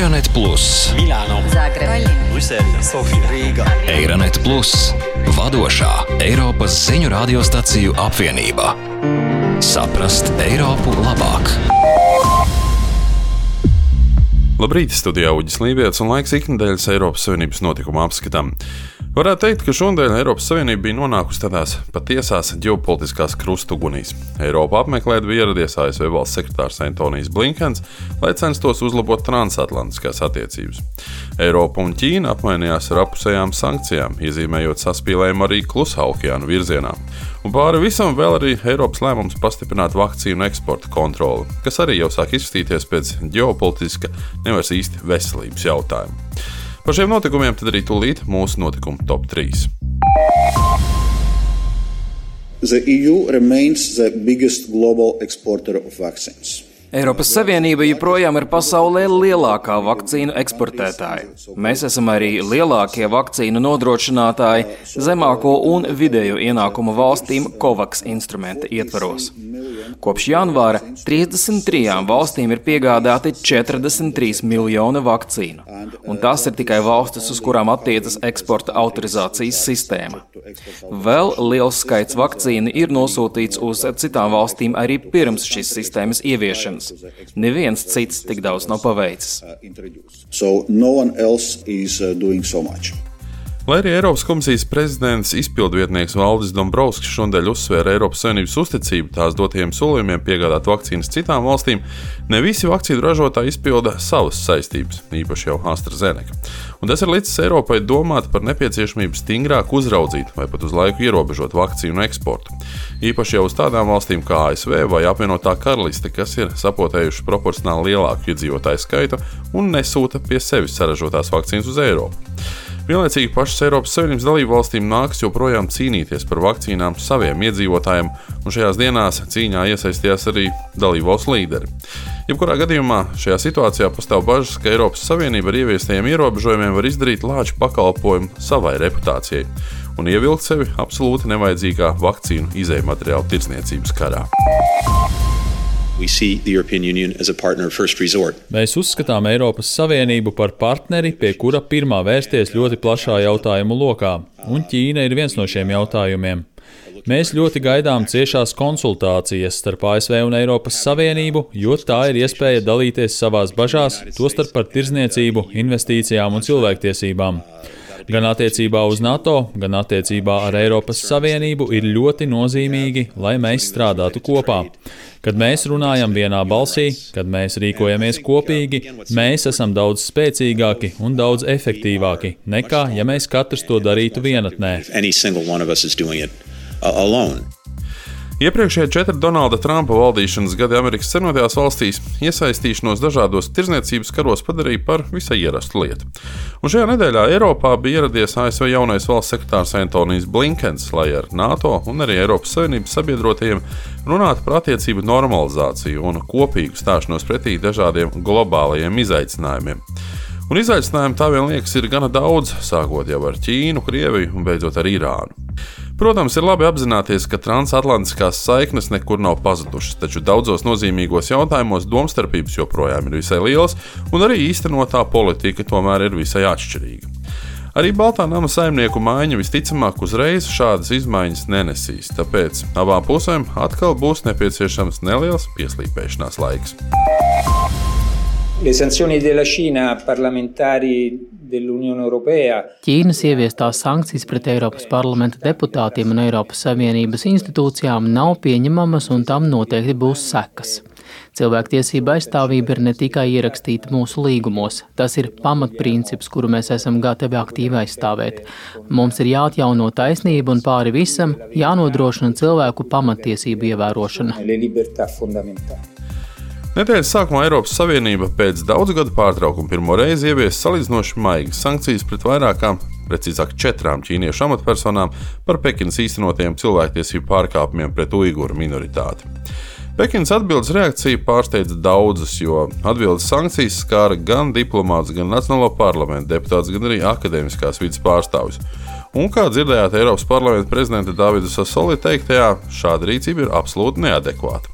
Eironet Plus, Milāno, Zagreba, Brisele, Sofija, Rīga. Eironet Plus, vadošā Eiropas ziņu radiostaciju apvienība. Saprast Eiropu labāk. Labrīt, studijā Uģis Lībijams un laiks iknedēļas Eiropas Savienības notikumu apskatam. Varētu teikt, ka šodien Eiropas Savienība bija nonākusi tādās patiesās ģeopolitiskās krustugunīs. Eiropu apmeklēt bija ieradies ASV valsts sekretārs Antonijs Blinkens, lai censtos uzlabot transatlantiskās attiecības. Eiropa un Ķīna apmainījās ar apusējām sankcijām, iezīmējot saspīlējumu arī Klusā okeāna virzienā. Un pāri visam vēl arī Eiropas lēmums pastiprināt vakcīnu eksporta kontroli, kas arī jau sāk izskatīties pēc ģeopolitiska, nevis īsti veselības jautājuma. Par šiem notikumiem tad arī tūlīt mūsu notikumu top 3. The EU remains the biggest global exporter of vaccines. Eiropas Savienība joprojām ir pasaulē lielākā vakcīnu eksportētāja. Mēs esam arī lielākie vakcīnu nodrošinātāji zemāko un vidējo ienākumu valstīm COVAX instrumenta ietvaros. Kopš janvāra 33 valstīm ir piegādāti 43 miljoni vakcīnu, un tas ir tikai valstis, uz kurām attiecas eksporta autorizācijas sistēma. Vēl liels skaits vakcīnu ir nosūtīts uz citām valstīm arī pirms šīs sistēmas ieviešanas. Neviens cits tik daudz nav paveicis. So no one else is doing so much. Lai arī Eiropas komisijas prezidents izpildvietnieks Valdis Dombrovskis šodien uzsvēra Eiropas Savienības uzticību tās dotajiem solījumiem piegādāt vakcīnas citām valstīm, ne visi vakcīnu ražotāji izpilda savas saistības, īpaši jau AstraZeneca. Un tas ir licis Eiropai domāt par nepieciešamību stingrāk uzraudzīt vai pat uz laiku ierobežot vakcīnu eksportu. Īpaši jau uz tādām valstīm kā ASV vai apvienotā karaliste, kas ir sapotējuši proporcionāli lielāku iedzīvotāju skaitu un nesūta pie sevis saražotās vakcīnas uz Eiropu. Vienlaicīgi pašas Eiropas Savienības dalību valstīm nākas joprojām cīnīties par vakcīnām saviem iedzīvotājiem, un šajās dienās cīņā iesaistījās arī dalību valstu līderi. Jebkurā gadījumā šajā situācijā pastāv bažas, ka Eiropas Savienība ar ieviestajiem ierobežojumiem var izdarīt lāču pakalpojumu savai reputācijai un ievilkt sevi absolūti nevajadzīgā vakcīnu izejmateriālu tirdzniecības karā. Mēs uzskatām Eiropas Savienību par partneri, pie kura pirmā vērsties ļoti plašā jautājumu lokā, un Ķīna ir viens no šiem jautājumiem. Mēs ļoti gaidām ciešās konsultācijas starp ASV un Eiropas Savienību, jo tā ir iespēja dalīties savās bažās, tostarp par tirdzniecību, investīcijām un cilvēktiesībām. Gan attiecībā uz NATO, gan attiecībā ar Eiropas Savienību ir ļoti nozīmīgi, lai mēs strādātu kopā. Kad mēs runājam vienā balsī, kad mēs rīkojamies kopīgi, mēs esam daudz spēcīgāki un daudz efektīvāki nekā, ja mēs katrs to darītu vienatnē. Iepriekšējie 4 Donalda Trumpa valdīšanas gadi Amerikas Savienotajās valstīs iesaistīšanos dažādos tirdzniecības karos padarīja par visai ierastu lietu. Un šajā nedēļā Eiropā bija ieradies ASV jaunais valsts sekretārs Antonijs Blinkens, lai ar NATO un arī Eiropas Savienības sabiedrotajiem runātu par attiecību normalizāciju un kopīgu stāšanos pretī dažādiem globālajiem izaicinājumiem. Un izaicinājumu tā vien liekas ir gana daudz, sākot jau ar Ķīnu, Krieviju un beidzot ar Irānu. Protams, ir labi apzināties, ka transatlantiskās saiknes nekur nav pazudušas, taču daudzos nozīmīgos jautājumos domstarpības joprojām ir visai lielas, un arī īstenotā politika tomēr ir visai atšķirīga. Arī Baltā nama saimnieku maiņa visticamāk uzreiz šādas izmaiņas nenesīs, tāpēc abām pusēm atkal būs nepieciešams neliels pieslīpēšanās laiks. Le sanzioni della Cina parlamentari dell'Unione Europea. Ķīnas ieviestās sankcijas pret Eiropas parlamenta deputātiem un Eiropas Savienības institūcijām nav pieņemamas un tam noteikti būs sekas. Cilvēktiesība aizstāvība ir ne tikai ierakstīta mūsu līgumos, tas ir pamatprincips, kuru mēs esam gatavi aktīvi aizstāvēt. Mums ir jāatjauno taisnība un pāri visam jānodrošina cilvēku pamattiesību ievērošana. Nedēļas sākumā Eiropas Savienība pēc daudzu gadu pārtraukuma pirmo reizi ievies salīdzinoši maigas sankcijas pret vairākām, precīzāk 4 ķīniešu amatpersonām par Pekinas īstenotiem cilvēktiesību pārkāpumiem pret uiguru minoritāti. Pekinas atbildes reakcija pārsteidza daudzus, jo atbildes sankcijas skāra gan diplomātus, gan Nacionālo parlamentu deputātus, gan arī akadēmiskās vides pārstāvjus. Un, kā dzirdējāt Eiropas parlamenta prezidenta Davida Sassoli teiktajā, šāda rīcība ir absolūti neadekvāta.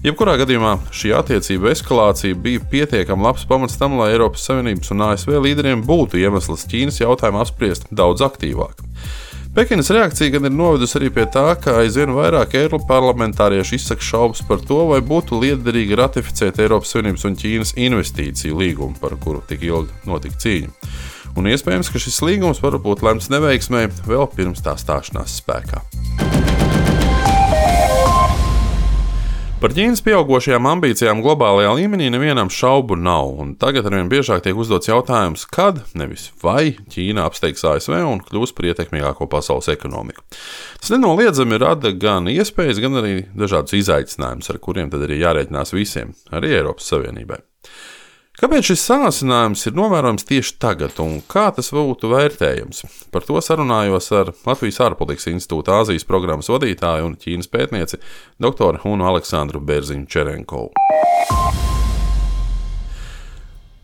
Jebkurā gadījumā šī attiecība eskalācija bija pietiekami labs pamats tam, lai Eiropas Savienības un ASV līderiem būtu iemesls Ķīnas jautājumu apspriest daudz aktīvāk. Pekinas reakcija gan ir novedusi arī pie tā, ka aizvien vairāk eiroparlamentārieši izsaka šaubas par to, vai būtu liederīgi ratificēt Eiropas Savienības un Ķīnas investīciju līgumu, par kuru tik ilgi notika cīņa. Un iespējams, ka šis līgums var būt lemts neveiksmē vēl pirms tā stāšanās spēkā. Par Ķīnas pieaugošajām ambīcijām globālajā līmenī nevienam šaubu nav, un tagad arvien biežāk tiek uzdots jautājums, kad, nevis vai, Ķīna apsteigs ASV un kļūs par ietekmīgāko pasaules ekonomiku. Tas nenoliedzami rada gan iespējas, gan arī dažādus izaicinājumus, ar kuriem tad arī jārēķinās visiem, arī Eiropas Savienībai. Kāpēc šis sāsinājums ir novērojams tieši tagad un kā tas būtu vērtējams? Par to sarunājos ar Latvijas ārpolitikas institūta Āzijas programmas vadītāju un Ķīnas pētnieci doktoru Hunu Aleksandru Berziņu-Čerenkovu.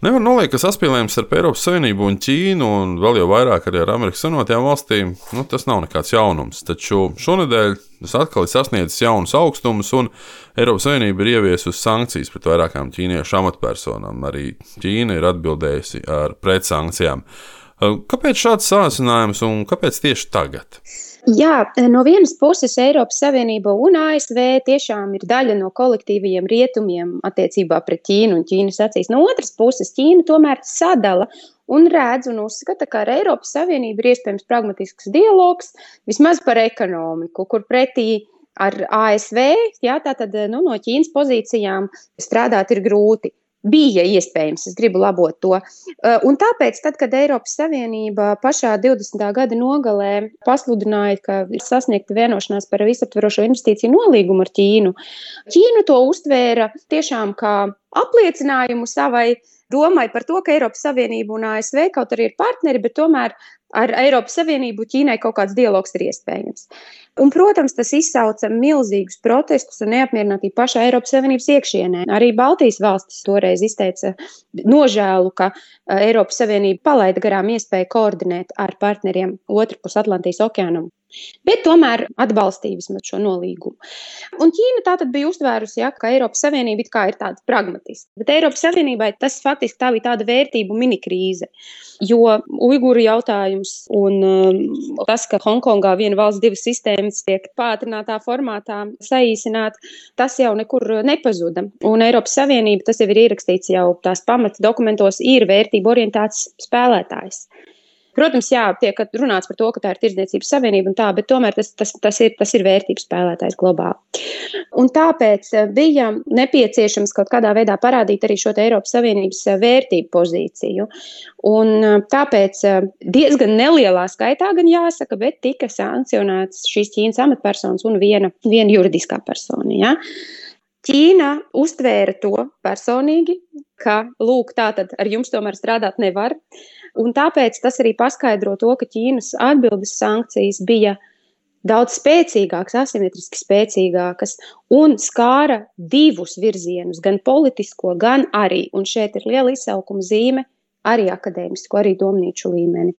Nevar noliekt, ka saspīlējums starp Eiropas Savienību un Ķīnu un vēl jau vairāk arī ar Amerikas Savienotajām valstīm, tas nav nekāds jaunums. Taču šonedēļ tas atkal ir sasniedzis jaunus augstumus un Eiropas Savienība ir ieviesusi sankcijas pret vairākām ķīniešu amatpersonām. Arī Ķīna ir atbildējusi ar pretsankcijām. Kāpēc šāds sāsinājums un kāpēc tieši tagad? Jā, no vienas puses Eiropas Savienība un ASV tiešām ir daļa no kolektīvajiem rietumiem attiecībā pret Ķīnu un Ķīnas acīs. No otras puses Ķīna tomēr sadala un redz un uzskata, ka ar Eiropas Savienību ir iespējams pragmatisks dialogs, vismaz par ekonomiku, kur pretī ar ASV, tātad no Ķīnas pozīcijām strādāt ir grūti. Bija iespējams, es gribu labot to. Un tāpēc, tad, kad Eiropas Savienība pašā 20. gada nogalē pasludināja, ka ir sasniegta vienošanās par visaptverošo investīciju nolīgumu ar Ķīnu, Ķīna to uztvēra tiešām kā apliecinājumu savai domai par to, ka Eiropas Savienība un ASV kaut arī ir partneri, bet tomēr ar Eiropas Savienību Ķīnai kaut kāds dialogs ir iespējams. Un, protams, tas izsauca milzīgus protestus un neapmierinātību pašā Eiropas Savienības iekšienē. Arī Baltijas valstis toreiz izteica nožēlu, ka Eiropas Savienība palaida garām iespēju koordinēt ar partneriem otrpus Atlantijas okeānam. Bet tomēr atbalstīja vismaz šo nolīgumu. Un Ķīna tātad bija uztvērusi, ka Eiropas Savienība it kā ir tāda pragmatiska. Bet Eiropas Savienībai tas faktiski tā bija tāda vērtību minikrīze, jo uiguru jautājums un tas, ka Hongkongā viena valsts divas sistēmas tiek pātrinātā formātā saīsināt, tas jau nekur nepazuda. Un Eiropas Savienība, tas jau ir ierakstīts jau tās pamata dokumentos, ir vērtību orientēts spēlētājs. Protams, tiek runāts par to, ka tā ir tirdzniecības savienība un tā, bet tomēr tas ir vērtības spēlētājs globāli. Un tāpēc bija nepieciešams kaut kādā veidā parādīt arī šo Eiropas Savienības vērtību pozīciju. Un tāpēc diezgan nelielā skaitā, gan jāsaka, bet tika sankcionēts šīs Ķīnas amatpersonas un viena juridiskā persona. Ja? Ķīna uztvēra to personīgi, ka, lūk, tātad ar jums tomēr strādāt nevar. Un tāpēc tas arī paskaidro to, ka Ķīnas atbildes sankcijas bija daudz spēcīgākas, asimetriski spēcīgākas un skāra divus virzienus, gan politisko, gan arī, un šeit ir liela izsaukuma zīme, arī akadēmisko, arī domnīču līmeni.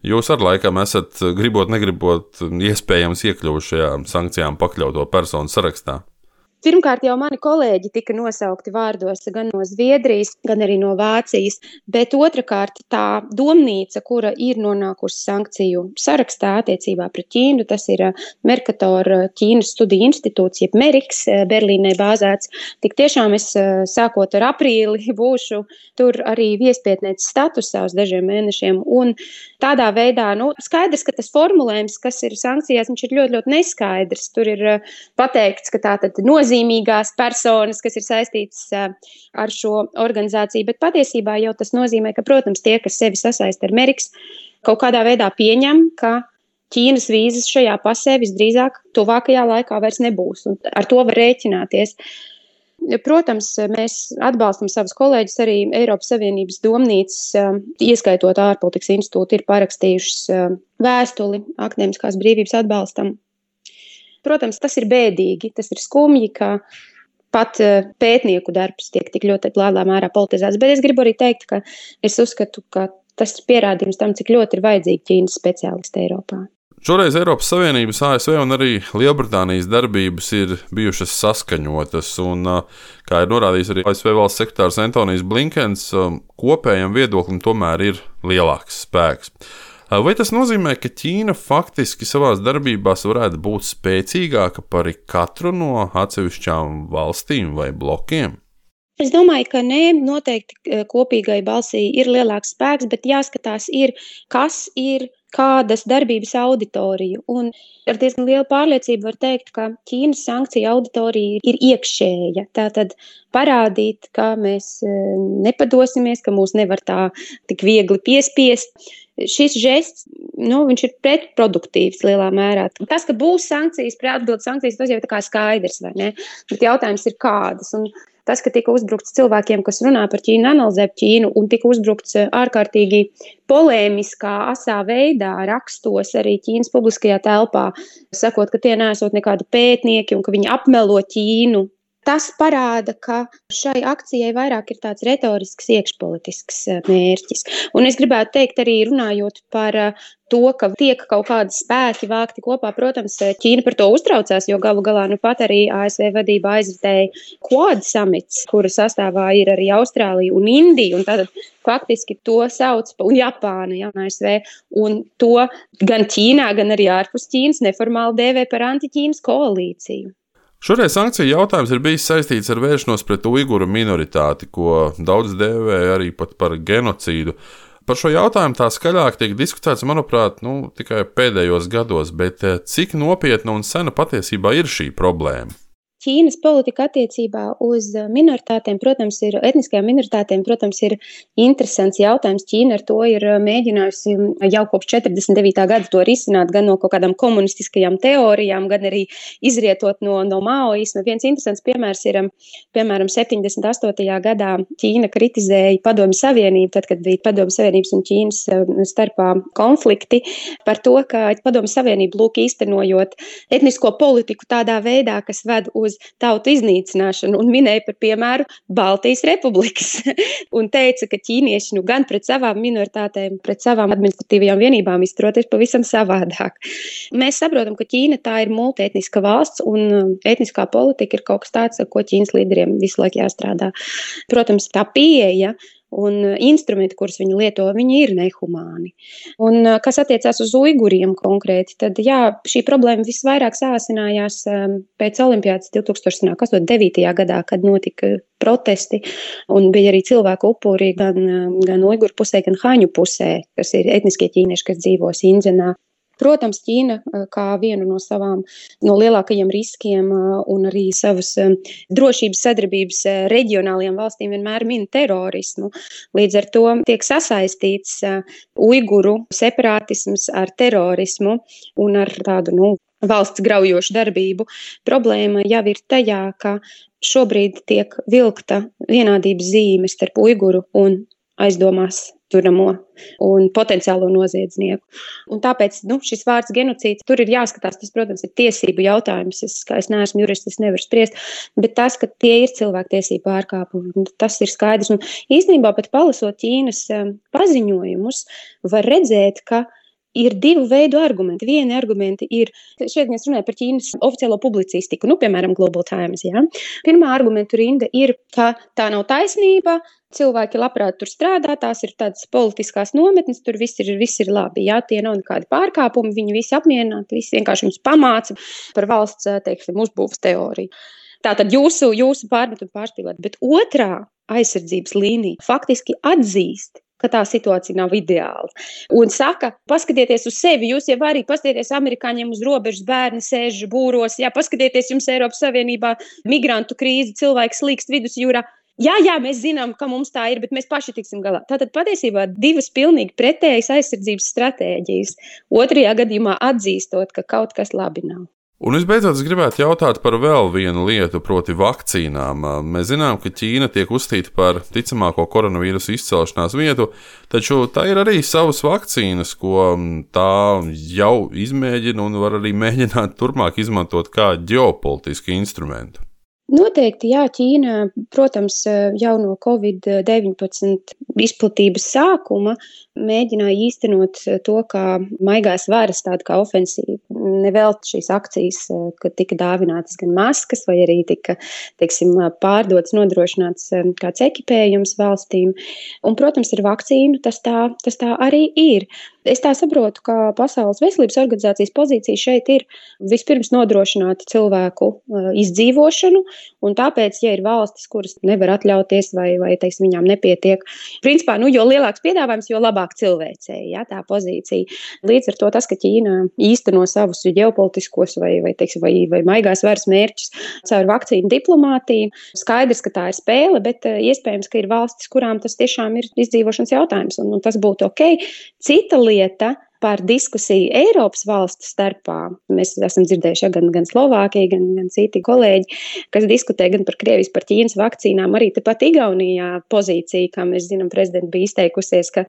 Jūs ar laikam esat, gribot, negribot, iespējams iekļuvuši šajā sankcijām pakļauto personu sarakstā. Pirmkārt, jau mani kolēģi tika nosaukti vārdos gan no Zviedrijas, gan arī no Vācijas, bet otrakārt tā domnīca, kura ir nonākusi sankciju sarakstā attiecībā pret Ķīnu, tas ir Mercator Ķīnas studiju institūts, jeb Meriks, Berlīnē bāzēts. Tik tiešām es sākot ar aprīli būšu tur arī viespietnieces statusā uz dažiem mēnešiem, un tādā veidā, skaidrs, ka tas formulējums, kas ir sankcijās, viņš ir ļoti, ļoti neskaidrs. Tur ir pateikts, ka tātad nozīmīgās personas, kas ir saistītas ar šo organizāciju, bet patiesībā jau tas nozīmē, ka, protams, tie, kas sevi sasaista ar Meriks, kaut kādā veidā pieņem, ka Ķīnas vīzas šajā pasē visdrīzāk tuvākajā laikā vairs nebūs, un ar to var rēķināties. Protams, mēs atbalstam savus kolēģus, arī Eiropas Savienības domnīcas, ieskaitot ārpolitikas institūtu, ir parakstījušas vēstuli akadēmiskās brīvības atbalstam. Protams, tas ir bēdīgi, tas ir skumji, ka pat pētnieku darbs tiek tik ļoti lielā mērā politizēts, bet es gribu arī teikt, ka es uzskatu, ka tas ir pierādījums tam, cik ļoti ir vajadzīgi Ķīnas speciālisti Eiropā. Šoreiz Eiropas Savienības, ASV un arī Lielbritānijas darbības ir bijušas saskaņotas, un, kā ir norādījis arī ASV valsts sekretārs Antonijs Blinkens, kopējam viedoklim tomēr ir lielāks spēks. Vai tas nozīmē, ka Ķīna faktiski savās darbībās varētu būt spēcīgāka par katru no atsevišķām valstīm vai blokiem? Es domāju, ka nē, noteikti kopīgai balsī ir lielāks spēks, bet jāskatās kas ir kādas darbības auditoriju. Un ar diezgan lielu pārliecību var teikt, ka Ķīnas sankcija auditorija ir iekšēja. Tātad parādīt, ka mēs nepadosimies, ka mūs nevar tā tik viegli piespiest. Šis žests, viņš ir pretproduktīvs lielā mērā. Tas, ka būs sankcijas, atbildes sankcijas, tas jau ir tā kā skaidrs, vai ne? Bet jautājums ir kādas. Un tas, ka tika uzbrukts cilvēkiem, kas runā par Ķīnu, analizē Ķīnu, un tika uzbrukts ārkārtīgi polēmiskā, asā veidā rakstos arī Ķīnas publiskajā telpā, sakot, ka tie neesot nekādi pētnieki un ka viņi apmelo Ķīnu. Tas parāda, ka šai akcijai vairāk ir tāds retorisks, iekšpolitisks mērķis. Un es gribētu teikt arī runājot par to, ka tiek kaut kādi spēki vākti kopā. Protams, Ķīna par to uztraucās, jo galu galā pat arī ASV vadība aizritēja Quad samits, kura sastāvā ir arī Austrālija un Indija. Un tātad faktiski to sauc un Japāna, ASV. Un to gan Ķīnā, gan arī ārpus Ķīnas neformāli dēvē par antiķīnas koalīciju. Šoreiz sankciju jautājums ir bijis saistīts ar vēršanos pret uiguru minoritāti, ko daudz dēvē arī pat par genocīdu. Par šo jautājumu tā skaļāk tiek diskutēts, manuprāt, tikai pēdējos gados, bet cik nopietna un sena patiesībā ir šī problēma? Ķīnas politika attiecībā uz minoritātēm, etniskajām minoritātēm, ir interesants jautājums. Ķīna ar to ir mēģinājusi jau kopš 49. gada to risināt, gan no kaut kādām komunistiskajām teorijām, gan arī izrietot no maoisma. Viens interesants piemērs ir, piemēram, 78. gadā Ķīna kritizēja Padomju Savienību, tad, kad bija Padomju Savienības un Ķīnas starpā konflikti, par to, ka Padomju Savienība īstenojot etnisko politiku tādā veidā, kas ved uz tautu iznīcināšanu, un minēja par piemēru Baltijas republikas. Un teica, ka ķīnieši gan pret savām minoritātēm, pret savām administratīvajām vienībām izturoties pavisam savādāk. Mēs saprotam, ka Ķīna tā ir multietniska valsts, un etniskā politika ir kaut kas tāds, ar ko Ķīnas līderiem visu laiku jāstrādā. Protams, tā pieeja un instrumenti, kurus viņi lieto, viņi ir nehumāni. Un kas attiecās uz uiguriem konkrēti, tad šī problēma visvairāk sāsinājās pēc Olimpiādas 2009. gadā, kad notika protesti, un bija arī cilvēku upuri gan uiguru pusē, gan haņu pusē, kas ir etniskie ķīnieši, kas dzīvo Sinzenā. Protams, Ķīna kā vienu no lielākajiem riskiem un arī savas drošības sadarbības reģionālajām valstīm vienmēr min terorismu. Līdz ar to tiek sasaistīts uiguru separātisms ar terorismu un ar tādu valsts graujošu darbību. Problēma jau ir tajā, ka šobrīd tiek vilkta vienādības zīme starp uiguru un aizdomās turamo un potenciālo noziedznieku. Un tāpēc šis vārds genocīds, tur ir jāskatās, tas, protams, ir tiesību jautājums. Es neesmu jurists, es nevaru spriest, bet tas, ka tie ir cilvēktiesību pārkāpumi, tas ir skaidrs. Un īstenībā pat palasot Ķīnas paziņojumus, var redzēt, ka ir divu veidu argumenti. Vieni argumenti ir, šeit mēs runājam par Ķīnas oficiālo publicistiku, piemēram, Global Times. Ja? Pirmā argumentu rinda ir, ka tā nav taisnība, cilvēki labprāt tur strādā, tās ir tādas politiskās nometnes, tur viss ir labi. Ja? Tie nav nekādi pārkāpumi, viņi visi apmierināti, visi vienkārši viņus pamāca par valsts, uzbūves teoriju. Tātad jūsu pārmetumi pārspīlēt, bet otrā aizsardzības līnija faktiski atzīst, ka tā situācija nav ideāla. Un saka, paskatieties uz sevi, jūs jau arī paskatieties amerikāņiem uz robežas, bērni sēž būros, paskatieties jums Eiropas Savienībā migrantu krīze, cilvēki slīkst vidusjūrā. Jā, mēs zinām, ka mums tā ir, bet mēs paši tiksim galā. Tātad patiesībā divas pilnīgi pretējas aizsardzības stratēģijas. Otrajā gadījumā atzīstot, ka kaut kas labi nav. Un visbeidzot, es gribētu jautāt par vēl vienu lietu, proti vakcīnām. Mēs zinām, ka Ķīna tiek uzskatīta par ticamāko koronavīrusu izcelšanās vietu, taču tā ir arī savas vakcīnas, ko tā jau izmēģina un var arī mēģināt turpmāk izmantot kā ģeopolitisku instrumentu. Noteikti, jā, Ķīna, protams, jau no Covid-19 izplatības sākuma mēģināja īstenot to, kā maigās varas, tādu kā ofensīvu. Nevelti šīs akcijas, kad tika dāvinātas gan maskas, vai arī tika, teiksim, pārdots, nodrošināts kāds ekipējums valstīm. Un, protams, ar vakcīnu tas tā arī ir. Es tā saprotu, ka Pasaules veselības organizācijas pozīcija šeit ir vispirms nodrošināt cilvēku izdzīvošanu, un tāpēc, ja ir valstis, kuras nevar atļauties vai teiksim, viņām nepietiek, principā, jo lielāks piedāvājums, jo labāk cilvēcēji, ja, tā pozīcija. Līdz ar to tas, ka Ķīna īsteno savus ģeopolitiskos vai maigās varas mērķus caur vakcīnu diplomātiju, skaidrs, ka tā ir spēle, bet iespējams, ka ir valstis, kurām tas tiešām ir izdzīvošanas jautājums, un tas būtu ok. Cita lieta par diskusiju Eiropas valstu starpā. Mēs esam dzirdējuši gan Slovākija, gan citi kolēģi, kas diskutē gan par Krievijas, par Ķīnas vakcīnām. Arī tepat Igaunijā pozīcija, kā mēs zinām, prezidenta bija izteikusies, ka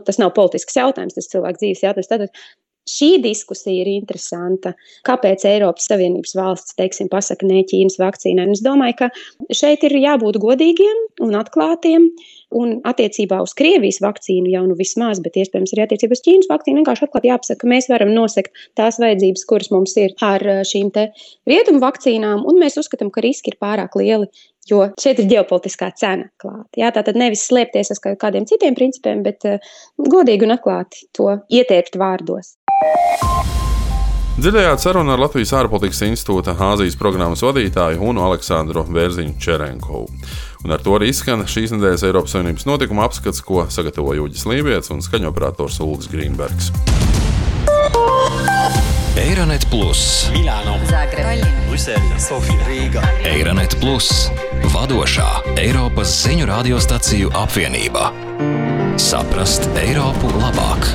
tas nav politisks jautājums, tas cilvēku dzīves jautājums. Tātad šī diskusija ir interesanta. Kāpēc Eiropas Savienības valsts, teiksim, pasaka ne Ķīnas vakcīnai? Un es domāju, ka šeit ir jābūt godīgiem un atklātiem. Un attiecībā uz Krievijas vakcīnu jau vismaz, bet iespējams arī attiecībā uz Ķīnas vakcīnu vienkārši atklāti jāpasaka, ka mēs varam nosekt tās vajadzības, kuras mums ir ar šīm te rietumu vakcīnām, un mēs uzskatām, ka riski ir pārāk lieli, jo šeit ir ģeopolitiskā cena klāta. Jā, tātad nevis slēpties aiz kādiem citiem principiem, bet godīgi un atklāti to ietērpt vārdos. Dzirdējāt sarunu ar Latvijas ārpolitikas institūta Āzijas programmas vadītāju Unu Aleksandru Bērziņu-Čerenkovu. Un ar to arī izskan šīs nedēļas Eiropas Savienības notikuma apskats, ko sagatavoja Uģis Lībijets un skaņoperators Uldis Grīnbergs. Eironet Plus, Milāno, Zagreb, Brisele, Sofija, Rīga. Eironet Plus, vadošā Eiropas ziņu radiostaciju apvienība. Saprast Eiropu labāk!